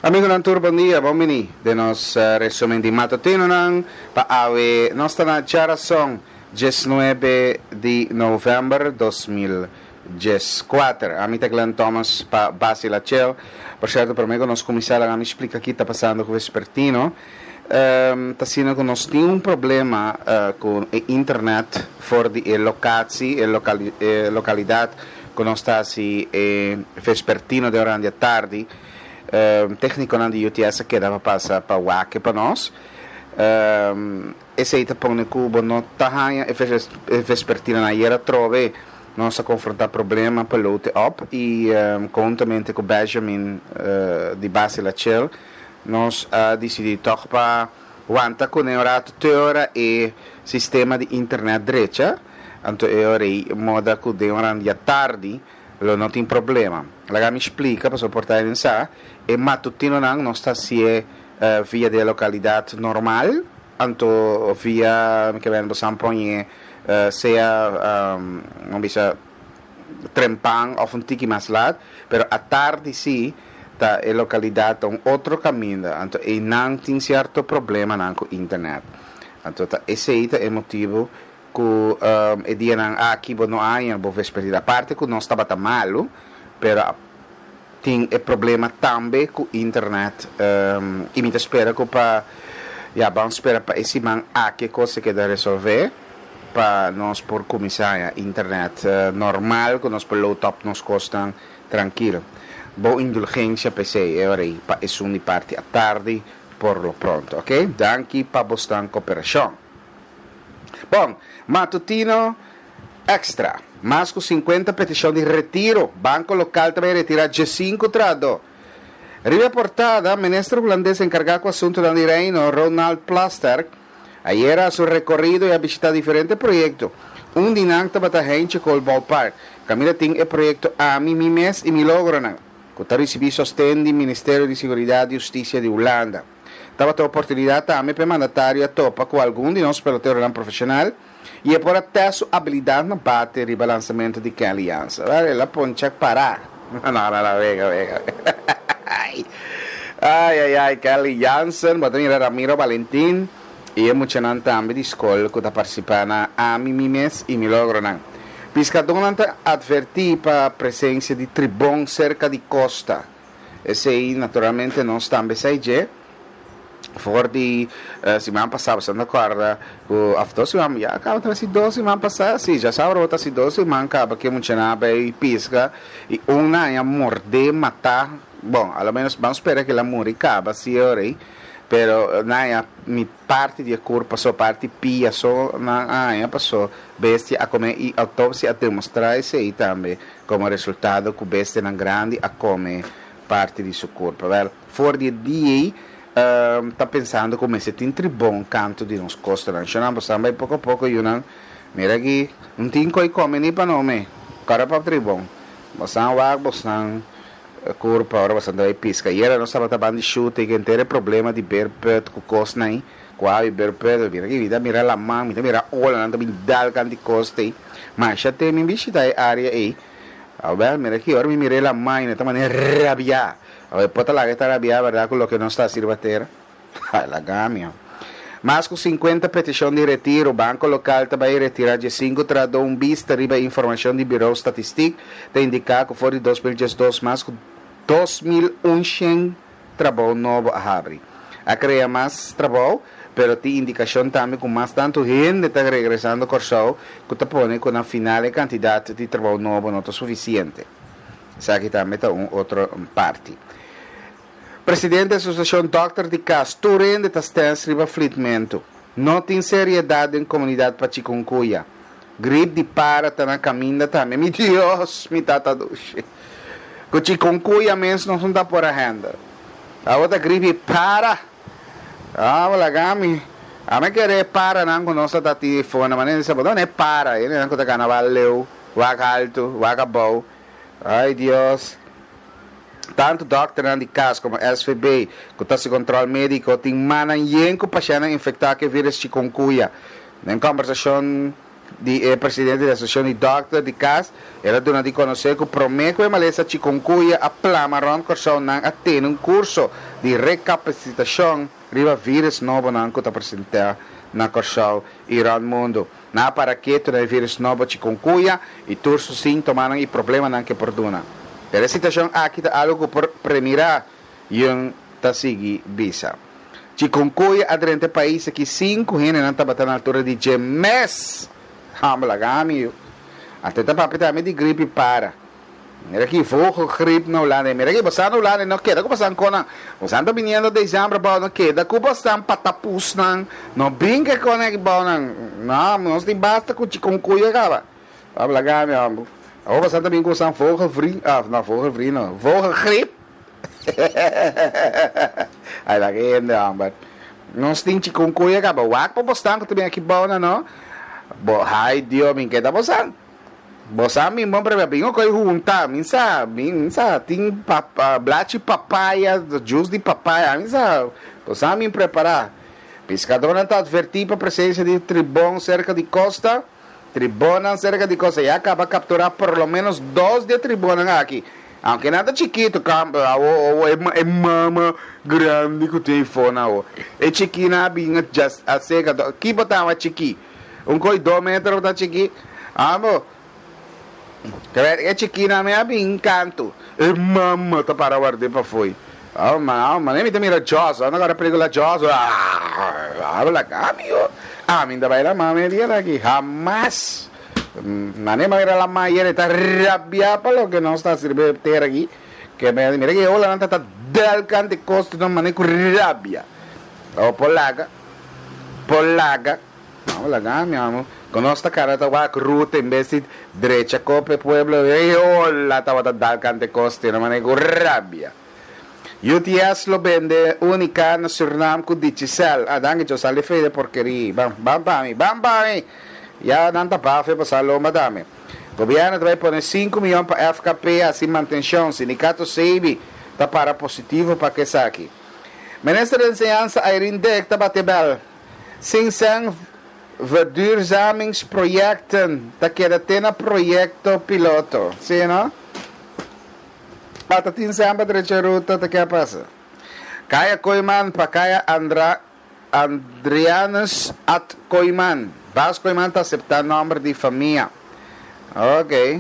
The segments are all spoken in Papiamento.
Amigonan tur bon dia, bon bini den nos resumen di matutinonan pa awe. Nos ta na djarason 19 di november 2014. Ami ta Glenn Thomas pa Basi Lachel. Por cierto, prome cu nos cuminsa laga mi splica ki ta pasando cu Vespertino. Ta asina cu nos tin un problema cu e internet for di e locatie, e localidad cu nos ta haci e Vespertino den oran di atardi. Tecniconan di UTS a keda pa pasa pa wak pa nos. Esey ta pone cu bo no ta haña e vespertinonan. Ayer atrobe nos a confronta problema pa load op y conhuntamente cu Benjamin di Base La Chel nos a dicidi toch pa wanta cune un rato te ora e sistema di internet drecha. Anto e ora ey moda cu den oran di atardi lo no tin problema. Laga mi splica pasobra por ta hende sa, e matutinonan nos ta hacié via di e localidad normal, anto via mi ke bende bosan poñe sea mi bisa trempan of un tiki mas laat, pero atardi si ta e localidad ta un otro caminda, anto eynan tin cierto problemanan cu internet. Anto ta esey ta e motibo Ku e dianan aki bo no a haña bo vespertina. Aparte ku nos tabata malu, pero a tin e problema tambe ku internet i mi ta spera ku pa ya ban spera pa e siman aki e kos ta keda resolvé pa nos por kuminsá haña internet normal ku nos por load up nos kosnan trankil. Bo indulgensia p'esei e ora ei pa esun di parti atardi por lo pronto, oke? Danki pa bosnan koperashon. Bon, Matutino Extra, Mas ku sinkuenta petishon di retiro, banko lokal ta bai retirá diesinku trahadó. Riba e portada, Minister hulandes enkargá ku asuntunan di Reino, Ronald Plasterk, ayera a su rekorido i a bishitá diferente proyekto. Un di nan tabata Heintje Kool Ballpark, kaminda tin e proyekto Ami, Mi Mes i Mi Logronan, ku ta risibí sosten di Ministerio di Siguridat i Hustisia di Hulanda. Tabata oportunidat tambe pa e mandatario a topa ku algun di nos peloteronan profeshonal i e por a tèst su abilidat na bate riba lansamentu di Kenley Jansen. Wèl, el a poncha pará. No, no, no, wega, wega. Ai, ai, ai, Kenley Jansen, bo ta mira Ramiro Valentin i e muchanan tambe di skol ku ta partisipá na Ami, Mi Mes i Mi Logronan. Piskadónan ta atvertí pa presensia di tribon serka di kosta. Esei naturalmente nos tambe sa dje for di siman pasá boso ta kòrda ku òf dos siman ya kaba ta hasi dos siman pasá si djasabra bo ta hasi dos siman kaba ke muchanan a bai piska i un nan a mordé matá bon a lo menos ban spera ke el a muri kaba si e ora ei pero nan a mi parti di e kurpa so parti pia so nan a haña paso bestia a kome i outopsia a demostrá esei tambe. Komo resultado ku bestianan grandi a kome parti di su kurpa. Wèl, for di e dia ei, ta pensando ku mester tin tribon kantu di nos kostanan. Shonnan, bo san bai poko poko, yunan. Mira aki, no tin koi kome ni pa nome. Kòrda pa tribon. Bo san wak bosnan kurpa ora bosan ta bai piska. Ayera nos tabata ban di shute i henter e problema di beerput ku kosnan ei. Ku awe beerput, mira aki, mi ta mira laman, mi ta mira olanan ta bin dal kantu di kosta ei. Masha te mi bishita e area ei. Awel, mira ki ora mi mira e lamai, mi ta manera rabiá. Awel, por ta laga e ta rabiá, berdad, ku loke nos ta hasi riba tera? Ai, laga mi, ho. Mas ku sinkuenta petishon di retiro, banko lokal ta bai retirá diesinku trahadó. Un bista riba e informashon di Birou Statistik ta indiká ku for di 2012 mas ku 2100 trabou nobo a habri. A krea mas trabou, pero tin indikashon tambe ku mas tantu hende ta regresando Kòrsou ku ta pone ku na final e kantidat di trabou nobo no ta sufisiente. Esaki tambe ta un otro parti. Presidente Asosiashon Dòkter di Kas, Tur hende ta stens riba flitmentu. No tin seriedat den komunidat pa chikungunya. Grip di para ta na kaminda tambe. Mi Dios, mi tata dushi. Ku chikungunya mes nos no ta por a handle. Awor ta grip di para. Awor laga mi. Ami kere e paranan ku nos ta tin fona. Manera di sa bo dónde e para? E nan ku ta gana wak leu, wak haltu, wak abou. Ay Dios. Tantu dòkternan di kas komo SVB ku ta hasi kòntròl médiko tin mannan yen ku pashèntnan infektá ku e vírus chikungunya. Den kòmbersashon. di e presidente di Asosiashon di Dòkter di Kas, el a duna di konosé ku promé ku e malesa chikungunya a plama rònt Kòrsou nan a tene un kurso di rekapasitashon riba vírus nobonan ku ta presentá na Kòrsou i rònt mundu. Nan a para ketu na e vírus nobo chikungunya i tur su síntomanan i problemanan ku e por duna. Pero e situashon aki ta algu ku por premirá, Yeung ta sigui bisa. Chikungunya a drenta e pais aki sin ku hendenan tabata na altura di dje mes! Hambel laga mi yu. Anto e ta papia tambe di gripi para. Mira ki vogelgriep na Hulanda. Mira ki bosan na Hulanda no keda ku bosan konan. Bosan ta biniendo december bou no keda ku bosan patapusnan. No bin ke konan aki bou nan. No, nos tin basta ku chikungunya kaba. Hambel laga mi homber. Awor bosan ta bin ku bosan vogelvrie, ah no vogelvrie no, vogelgriep. Ay laga hende homber. Nos tin chikungunya kaba. Wak pa bosnan ku ta bin aki bou nan no. Bo hay Dios mi keda bosan. Bo sa mi bon prebia bin okoy hunta mi sa mi sa tin blachi papaya juice di papaya mi sa bo sa mi prepara piskadornan ta adverti pa presencia di tribon serka di kosta tribonnan serka di kosta ya kaba kaptura por lo menos dos di e tribonnan aki aunke nan ta chikito awo e mama grandi ku tin eyfo nan awo e chikinan a bin a seka kibo ta chiki. Un koi do metro ta chiki. Amo. E chikina mi a bin kantu. E mama ta para ward'é pafoi. Oh man, oh man, mi ta mira Jaws. Anda kora pelikula Jaws. Habla ami yo. Ami ta bai la mama e dia aki. Hamas. Mane mira la mayer e ta rabia pa loke nos ta hasi riba e tera aki. Ke mira ki e olanan ta ta del kante kos nan mane ku rabia. Oh por laga. Por laga. No, laga mi amo. Cu nos ta cara ta wak ruta en bes di drecha copa e pueblo. Ey hola tabata dal cante coste na manera cu rabia. UTS lo bende Unica na Surinam cu Digicel. Ah, danki cho sali fe de porkerie. Ban, ban pa mi, ban pa mi! Ya nan ta bafe pa sa lomba tambe. Gobierno ta bay pone sinku miyon pa FKP haci mantencion. Sindicato Seibi ta para positivo pa cu esaki. Minister di Enseñansa Irene Dick ta bate bel. Sin sèn verduurzamingsprojecten ta keda te na proyecto piloto. Sí, no? Ata tin sèn pa drecha ruta ta ke a pasa. Kaya Kooyman pa kaya Andra Andrianus Ad Kooyman. Bas Kooyman ta aseptá nòmber di famia. Ok.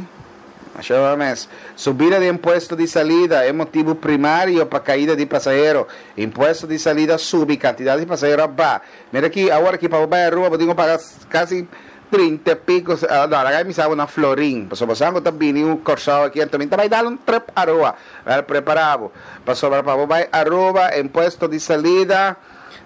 Masha bon mes. Subida di impuesto di salida e motibu primario pa kaida di pasahero. Impuesto di salida subi, kantidat di pasahero a ba. Mira aki, awor aki pa bo bai Aruba bo tin ku paga kasi trinta e piko, no, laga mi sa bo na florin. Pasobra bo sa ku ta bini un Kòrsou aki anto mi ta bai dal un trip Aruba. Wèl, prepara bo. Pasobra pa bo bai Aruba impuesto di salida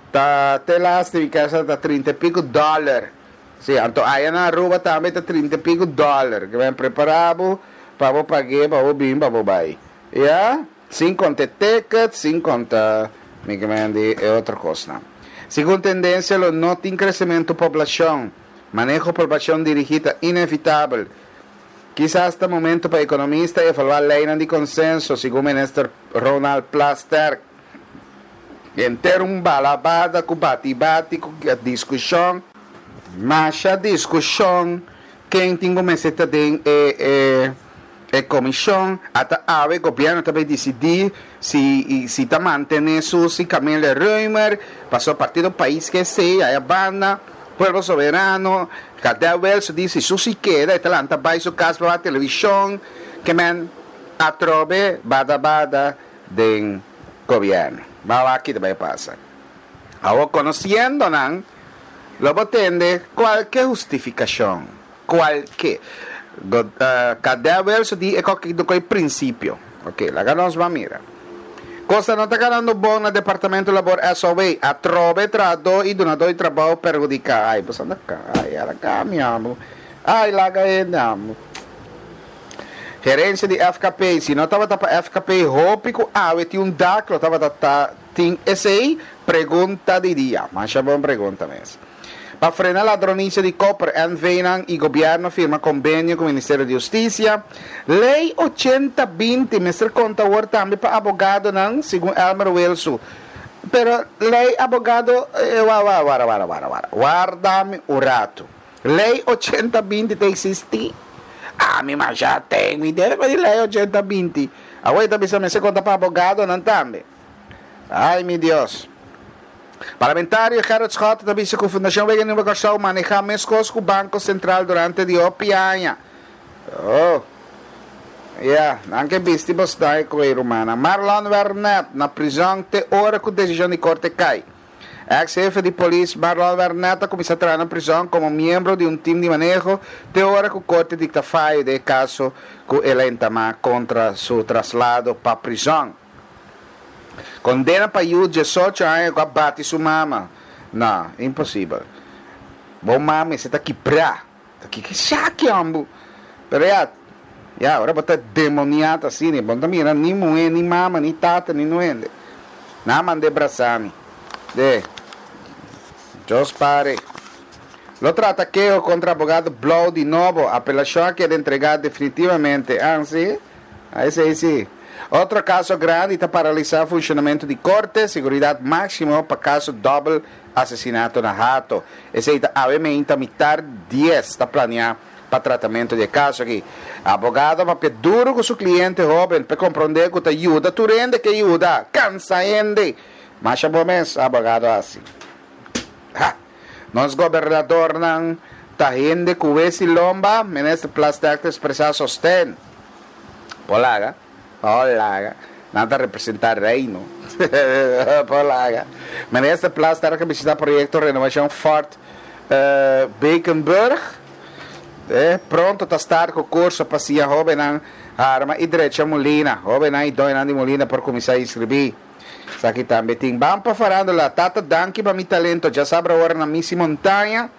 ta te laste mi kesa ta trinta e piko dòler. Sí, anto aya na Aruba tambe ta trinta i pico dollar. Ke men prepara bo pa bo pag'é, pa bo bin, pa bo bai. Ya? Sin konta e ticket, sin konta mi ke men di e otro kosnan. Segun tendensia lo no tin kresementu poblashon. Maneho poblashon dirigí ta inevitabel. Kisas ta momento pa ekonomista evaluá leinan di konsenso, segun minister Ronald Plasterk. Henter un balabada ku bati bati ku diskushon. Masha diskushon ken tin ku mester ta den e e e komishon. Ata awe gobièrnu ta bay disidí si si ta mantené Susi Camelia Römer pasobra partido pais ke esei aya banda Pueblo Soberano Kadel Wilson di si Susi keda e ta lanta bay su kas pa wak televishon ke men atrobe bada bada den gobierno. Ba wak ki ta bay pasa. Awor conociendo nan, lo bo tende cualke hustificacion, cualke. Go, Cadel Wilson di e koki do koe principio. Ok, laga nos ban mira. Cosa no ta ganando bon na Departamento Labor SOW. Atrobe trahador y dunador di trabao perhudica. Ay, bo sa na ca, ay, ala ca mi amo. Ay, laga hende amo. Gerencia di FKP, si no tabata pa FKP hopi cu awe tin un dak lo tabata ta tin esey? Pregunta di dia. Masha bon pregunta mes. Pa frena ladronicia di koper NV nan y gobierno firma convenio cu Ministerio di Husticia. Ley ochenta binti mester conta awor tambe pa abogadonan segun Elmer Wilsu. Pero ley abogado, eh, wa, wa, wara, wara, wara, wara. Warda mi un rato. Lei 80 20 ta eksistí? Ami masha ten idea di lei 80 20. Awor e ta bisa mester konta pa abogadonan tambe. Ai mi Dios. Parlamentario Gerrit Schotte ta bisa ku Fundashon Wega Nieuwe Kòrsou manehá meskos ku Banko Sentral durante di hopi aña. Oh. Ya, nan ke bisti bosnan e koe rumannan. Marlon Wernet na prizòn te ora ku desishon di korte kai. Eks hefe di polis Marlon Wernet a kuminsá traha na prizòn komo miembro di un tim di maneho te ora ku korte dikta fayo den e kaso ku el a entamá kontra su traslado pa prizòn. Kondena pa yu diesocho aña ku a bati su mama. No, imposibel. Bo mama mester ta kibrá. Ta kiko esaki hombu? Pero ya, ya, ora bo ta demoniá ta asina, bo no ta mira ni muhé, ni mama, ni tata, ni no hende. Nan a mand'é brasá mi. De, Dios pare. Lo trata keho kontra abogado Blou di nobo. Apelashon a keda entregá definitivamente. Ah, si? Ah, esei si. Otro kaso grandi ta paralisá funshonamentu di korte, seguridat máksimo pa kaso dòbel Asesinato na Hato. Esei ta awe meinta mitar dies ta planea pa tratamento di e caso aki. Abogado a papia duro cu su cliente hoben p'e compronde cu ta yuda tur hende ke yuda, cansa hende. Masha bo mes, abogado a haci. Ha! Nos gobernadornan ta hende cu wesi lomba, Minister Plasterk ta expresa sosten. Por laga. Hola, nan ta representa Reino. Hola. Minister Plasterk a bishita proyecto renovacion Fort Beekenburg. Pronto ta start cu curso pa siña hobennan arma y drecha mulina. Hobennan y doñonan di mulina por cuminsa inscribi. Esaki tambe tin. Ban pa farándula. Tata danki pa mi talento. Djasabra ora na Misi Montaña.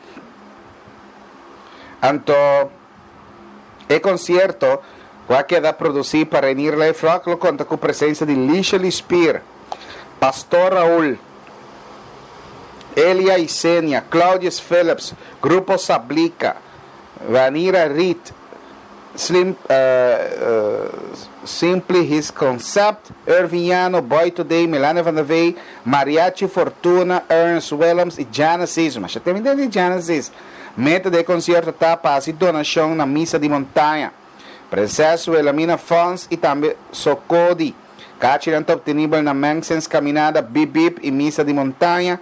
Anto. E konsierto, ku a keda produsí pa Reinier Leeflok, lo konta ku presensia di Lishely Spier, Pastor Raul, Elia Isenia, Claudius Phillips, Grupo Sablika, Vanira Reed, Slim Simply His Concept, Irving Yano, Boy Today, Melania van der Vey, Mariachi Fortuna, Ernst Willems i Genesis. Masha tempo di Genesis. Meta di e konsierto ta pa hasi donashon na Misa di Montaña, Prinses Wilhelmina Fonds i tambe Sokodi. Kachinan ta optenibel na Mensens Caminada, Bip Bip i Misa di Montaña.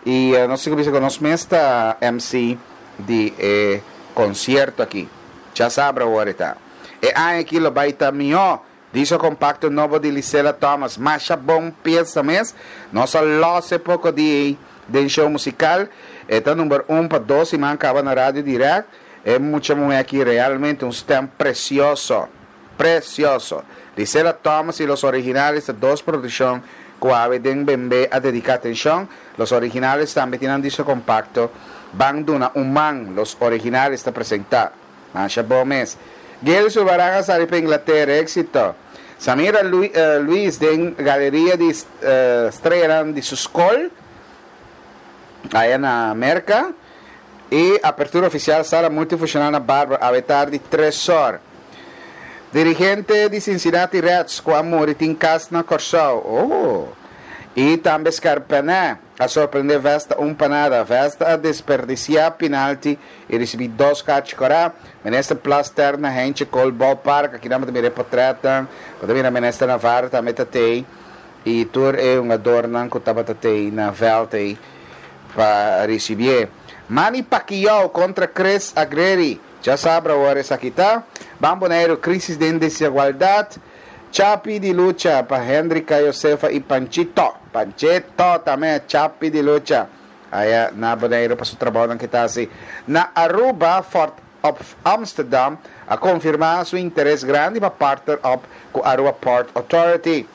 I nos tin ku bisa ku nos mes ta MC di e konsierto aki. Djasabra awor e ta. E aña aki lo bai ta mihó. Disco compacto nobo di Lisela Thomas masha bon pieza mes. Nos a los e poco di ei den show musical. E ta number un pa dos siman caba na Radio Direct. E mucha muhe aki realmente un stem precioso. Precioso. Lisela Thomas y Los Originales ta dos produccion cu awe den Bembe a dedica atencion. Los Originales tambe tin nan disco compacto Ban Duna Un Man. Los Originales ta presenta. Masha bon mes. Gil Sulbarán a sali pa Inglaterra, éxito. Samira Luis den galeria di streanan di su skol aya na Merka. I apertura ofisial sala multifunshonal na Barbara awe tardi tres or. Dirigente di Cincinnati Reds ku a muri tin kas na Kòrsou. Oh! I tambe Scarpanè. A sorprende Vesta un pa nada. Vesta a desperdiciá pinalti i ricibi dos kachi corá. Minister Plasterk na Heintje Kool Ballpark. Aki nan bo ta mira e potretnan. Bo ta mira Minister Navarro tambe ta tei i tur e hungadornan cu tabata tei na veld ei pa ricibié. Manny Pacquiao contra Chris Agreri. Djasabra awor esaki ta. Ban Boneiru, crisis den desigualdad. Chapi di lucha pa Hendrika Josefa i Panchito. Panchito tambe chapi di lucha aya na Boneiru pa su trabounan ke ta hasi. Na Aruba, Fort of Amsterdam a konfirmá su interes grandi pa partner op ku Aruba Port Authority.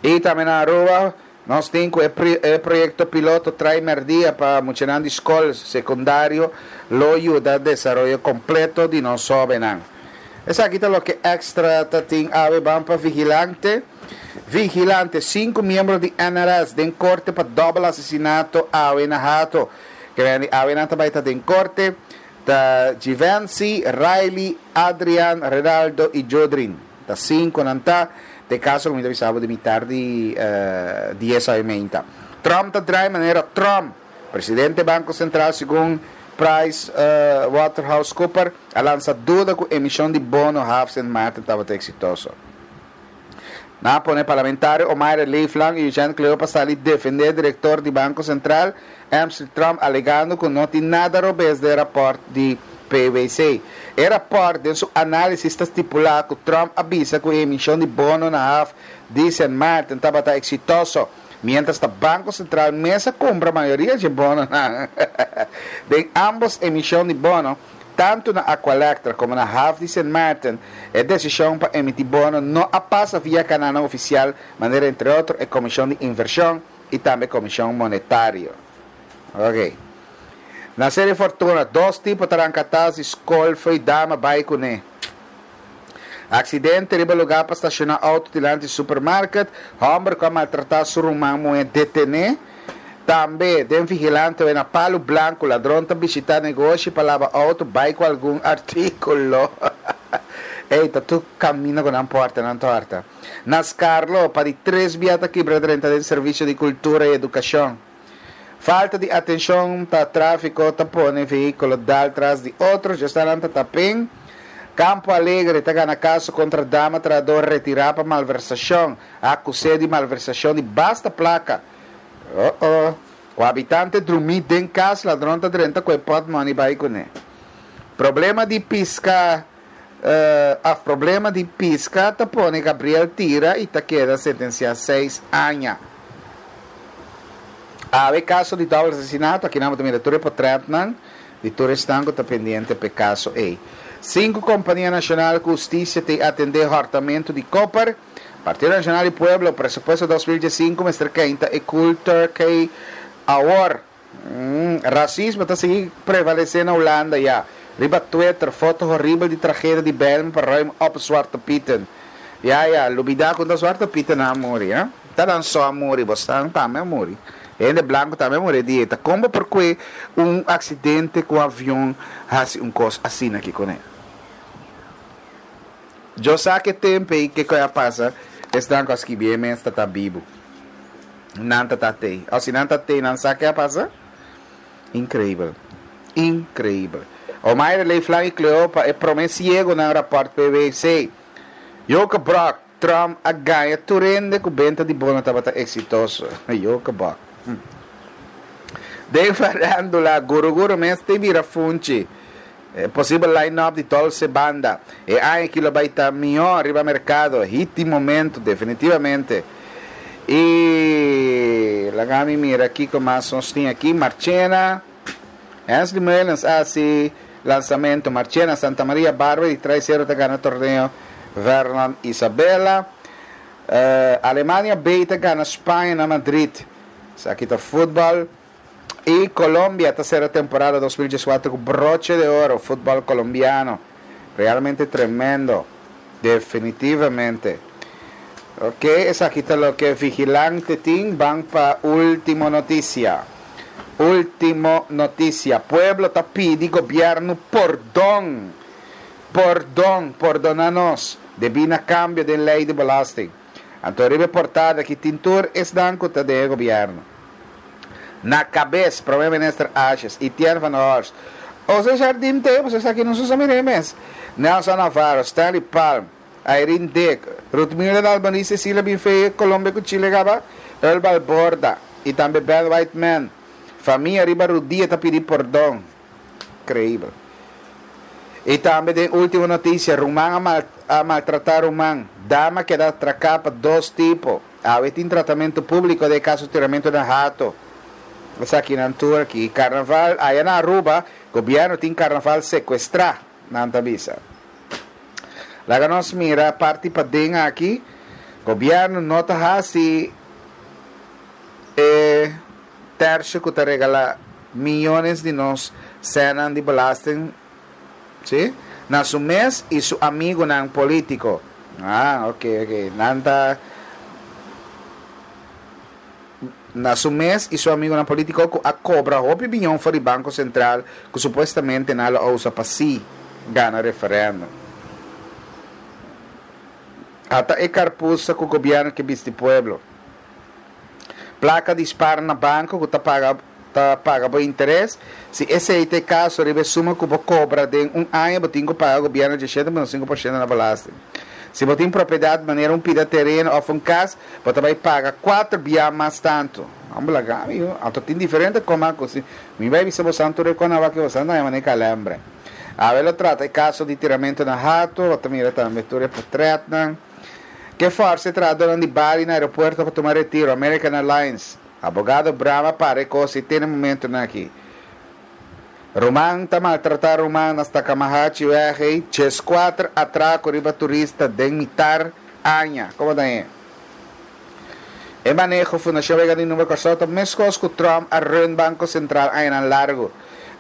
I tambe na Aruba nos tin ku e proyekto piloto Trai Merdia pa muchanan di skol sekundario lo yuda desaroyo kompleto di nos hóbennan. Esaki ta loke Extra ta tin awe ban pa Vigilante. Vigilante, Sinku miembro di NRS den korte pa dòbel asesinato awe na Hato. Kemen di awe nan ta bai ta den korte ta Givency, Riley, Adrian, Renaldo i Jodrin. Ta sinku nan ta. Den kaso ku mi ta bisa bo di mitar di dies awe meinta. Trump ta drai manera Trump. Presidente Banko Sentral segun. Price Waterhouse Cooper a lansa duda ku emishon di bono haf Sint Maarten tabata eksitoso. Nan a pone parlamentario Omayra Leeflang i Eugène Cleopa sali defendé direktor di Banko Sentral, Emsley Tromp alegando ku no tin nada robes den rapòrt di PwC. E rapòrt den su análisis ta stipulá ku Tromp a bisa ku e emishon di bono na haf di Sint Maarten tabata eksitoso, miéntras ta Banko Sentral mes a kumpra mayoria dje bononan. Den ámbos emishon di bono, Tantu na Aqualectra komo na haf di Sint Maarten, e desishon pa emití bono no a pasa via kanalnan ofisial manera entre otro e Komishon di Invershon i tambe Komishon Monetario. Ok. Na Serie Fortuna, dos tipo ta ranka tas di skol fo'i dama bai kuné. Aksidente riba lugá pa stashoná outo dilanti supermarket, hòmber ku a maltratá su ruman muhé detené. Tambe, den Vigilante we na Palu Blanku, ladron ta bishitá negoshi pa laba outo bai ku algun artíkulo. Ey, ta tur kaminda ku nan pòrta nan tòrta. Na Skarlo, pa di tres bia ta kibra drenta den servisio di kultura i edukashon. Falta di atenshon pa tráfiko ta pone vehíkulo dal tras di otro, djastanan ta tapen. Campo Alegre ta gana kaso kontra dama trahador retirá pa malversashon. A akus'é di malversashon di basta plaka. Oh oh. Ku habitante drumí den kas, ladron ta drenta ku e pòtmòni bai kuné. Problema di piska Af problema di piska ta pone Gabriel tira y ta keda sentencia seis aña. Awe caso di doble asesinato, aki nan bo ta mira tur e potretnan di tur esnan cu ta pendiente p'e caso ey. Cinco compania nacional cu husticia t'ey atende hortamento di koper. Partido Nacional di Pueblo, presupuesto 2015 mester keinta e cool turkey awor. Rasismo ta sigui prevalesé na Hulanda ya. Riba Twitter, foto horibel di tragedia di Bijlmer pa ruim op Zwarte Pieten. Ya ya, lubidá ku ta Zwarte Pietennan a muri, eh. Ta nan so a muri, bosnan tambe a muri. Hende blanku tambe a muri e dia ei. Ta kon bo por kue un aksidente ku avion hasi un kos asina aki kuné? Djo sa ke tempu ei kiko a pasa, esnan ku a skibié mes ta ta bibu. Nan ta ta tei. O si nan ta tei, nan sa ke a pasa? Increibel. Increibel. Omaire Leeflang i Cleopa e prome siegonan raport PwC. Joke Brok, Trump a gaña tur hende ku benta di bono tabata eksitoso. Joke Bok. Den farandula, Guru Guru mes te bira funchi. E posibel line-up di Dolce Banda e aña aki lo bai ta mihó riba merkado, hit di momento definitivamente. I laga mi mira kiko mas nos tin aki. Marchena, Hensley Meulens a hasi lansamento. Marchena, Santa Maria, Barber di Traisero ta gana torneo Vernon Isabella. Alemania B ta gana Spaña na Madrid. Esaki ta futbal. Y Colombia ta cera temporada 2014 cu broche de oro, futbol colombiano. Realmente tremendo. Definitivamente. Ok, esaki ta loke Vigilante tin. Ban pa ultimo noticia. Ultimo noticia. Pueblo ta pidi gobierno pordon. Pordon, pordona nos. Debí na cambio den ley di belasting. Anto riba e portada aki tin tur esnan cu ta den e gobierno. Na cabes, Prome Minister Asjes, Etienne van Horst, Jose Jardim te, pasobra esaki nos no sa mira e mes, Nelson Navarro, Stanley Palm, Irene Dick, Ruthmilda Dalmarie, Cecilia Binfeye, Colombia cu Chile caba, Earl Balborda, y tambe Ben Whiteman. Famia riba rudia ta pidi pordon. Creibel. Y tambe den ultimo noticia, ruman a mal a maltrata ruman. Dama a keda atraca pa dos tipo. Awe tin tratamento publico den e caso tiramento na hato. Esaki nan tur aki. Carnaval aya na Aruba, gobierno tin carnaval secuestra, nan ta bisa. Laga nos mira parti paden aki. Gobierno no ta haci e tercio cu ta regala miyones di nos sennan di belasting, si, na su mes y su amigonan politico. Ah, ok, ok. Nan ta na su mes y su amigonan politico cu a cobra hopi biyon for di Banco Central cu supuestamente nan lo a usa pa si gana referendum. Ata e carpusa cu gobierno ke bisti pueblo. Placa di spar na banco cu ta paga. ta paga bo interes? Si esei ta e kaso, riba e suma ku bo kobra den un aña bo tin ku paga gobièrnu 17,5% na belasting. Si bo tin propiedat manera un pida tereno òf un kas, bo ta bai paga kuater bia mas tantu. Hombre laga mi yu. Anto tin diferente koma ku si mi bai bisa bosan tur e kona wak bosan ta haña manera kalembre. Awe lo trata e kaso di tiramentu na Hato, bo ta mira tambe tur e potretnan. Ke forsa e trahadornan di Bali na aeropuerto pa tuma retiro, American Airlines. Abogado Brama para e kos i tene momentunan aki. Ruman ta maltratá ruman na Stakamahachi weg ei, 14 atrako riba turista den mitar aña. Komo ta e? E maneho Fundashon Wega di Number Kòrsou ta meskos ku Trump a run Banko Sentral añanan largu.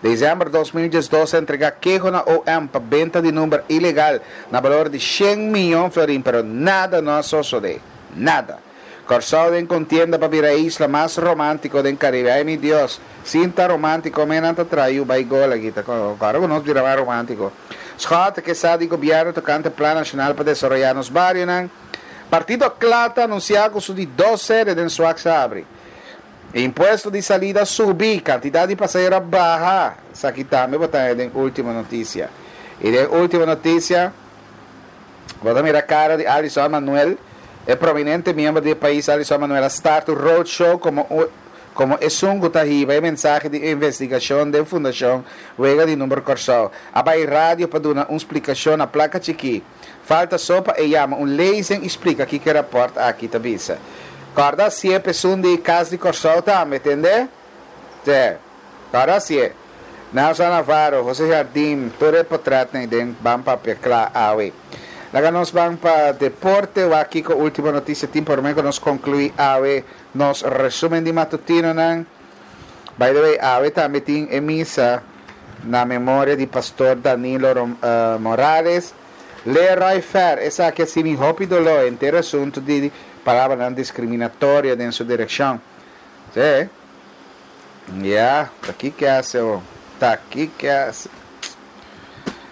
Desèmber 2012 a entregá keho na OM pa benta di number ilegal na balor di shen miyon florin pero nada no a sosodé. Nada. Kòrsou den kontienda pa bira e isla mas romántiko den Karibe. Ay mi Dios, sin ta romántiko men nan ta traha yu bai gol aki. Ta kòrda ku nos bira mas romántiko. Schotte ke sa di gobièrnu tokante plan nashonal pa desaroyá nos barionan. Partido kla ta anunsiá ku su di dos sede den Swak sa habri. E impuesto di salida a subi, kantidat di pasahero a baha. Esaki tambe bo ta haña den Ultimo Noticia. I den Ultimo Noticia bo ta mira kara di Alison Manuel. E prominente miembro di e pais Alison Manuel a start un roadshow komo komo esun ku ta hiba e mensahe di investigashon den Fundashon Wega di Number Kòrsou. A bai radio pa duna un splikashon na plaka chikí. Falta so pa e yama un lezing i splika kiko e rapòrt aki ta bisa. Kòrda hasié pa esun di Kas di Kòrsou tambe, tende? Te. Kòrda hasié. Nelson Navarro, José Jardim, tur e potrètnan ei den Ban Papia Kla awe. Laga nos ban pa deporte, wak kiko último notisia tin promé ku nos konkluí awe nos resúmen di matutinonan. By the way, awe tambe tin e misa na memoria di Pastor Danilo Morales. Leroy Fer, esaki a simi hopi doló henter asuntu di palabranan discriminatorio den su direccion. Sí. Ya, ta ki hace ho. Ta ki hace.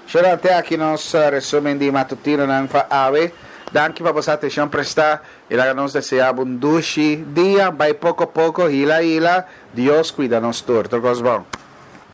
Shora, te aki nos resumen di matutinonan pa awe. Danki pa boso atencion presta. I laga nos desea bo un dushi dia. Bai poco poco, hila hila. Dios cuida nos tur. Tur cos bon.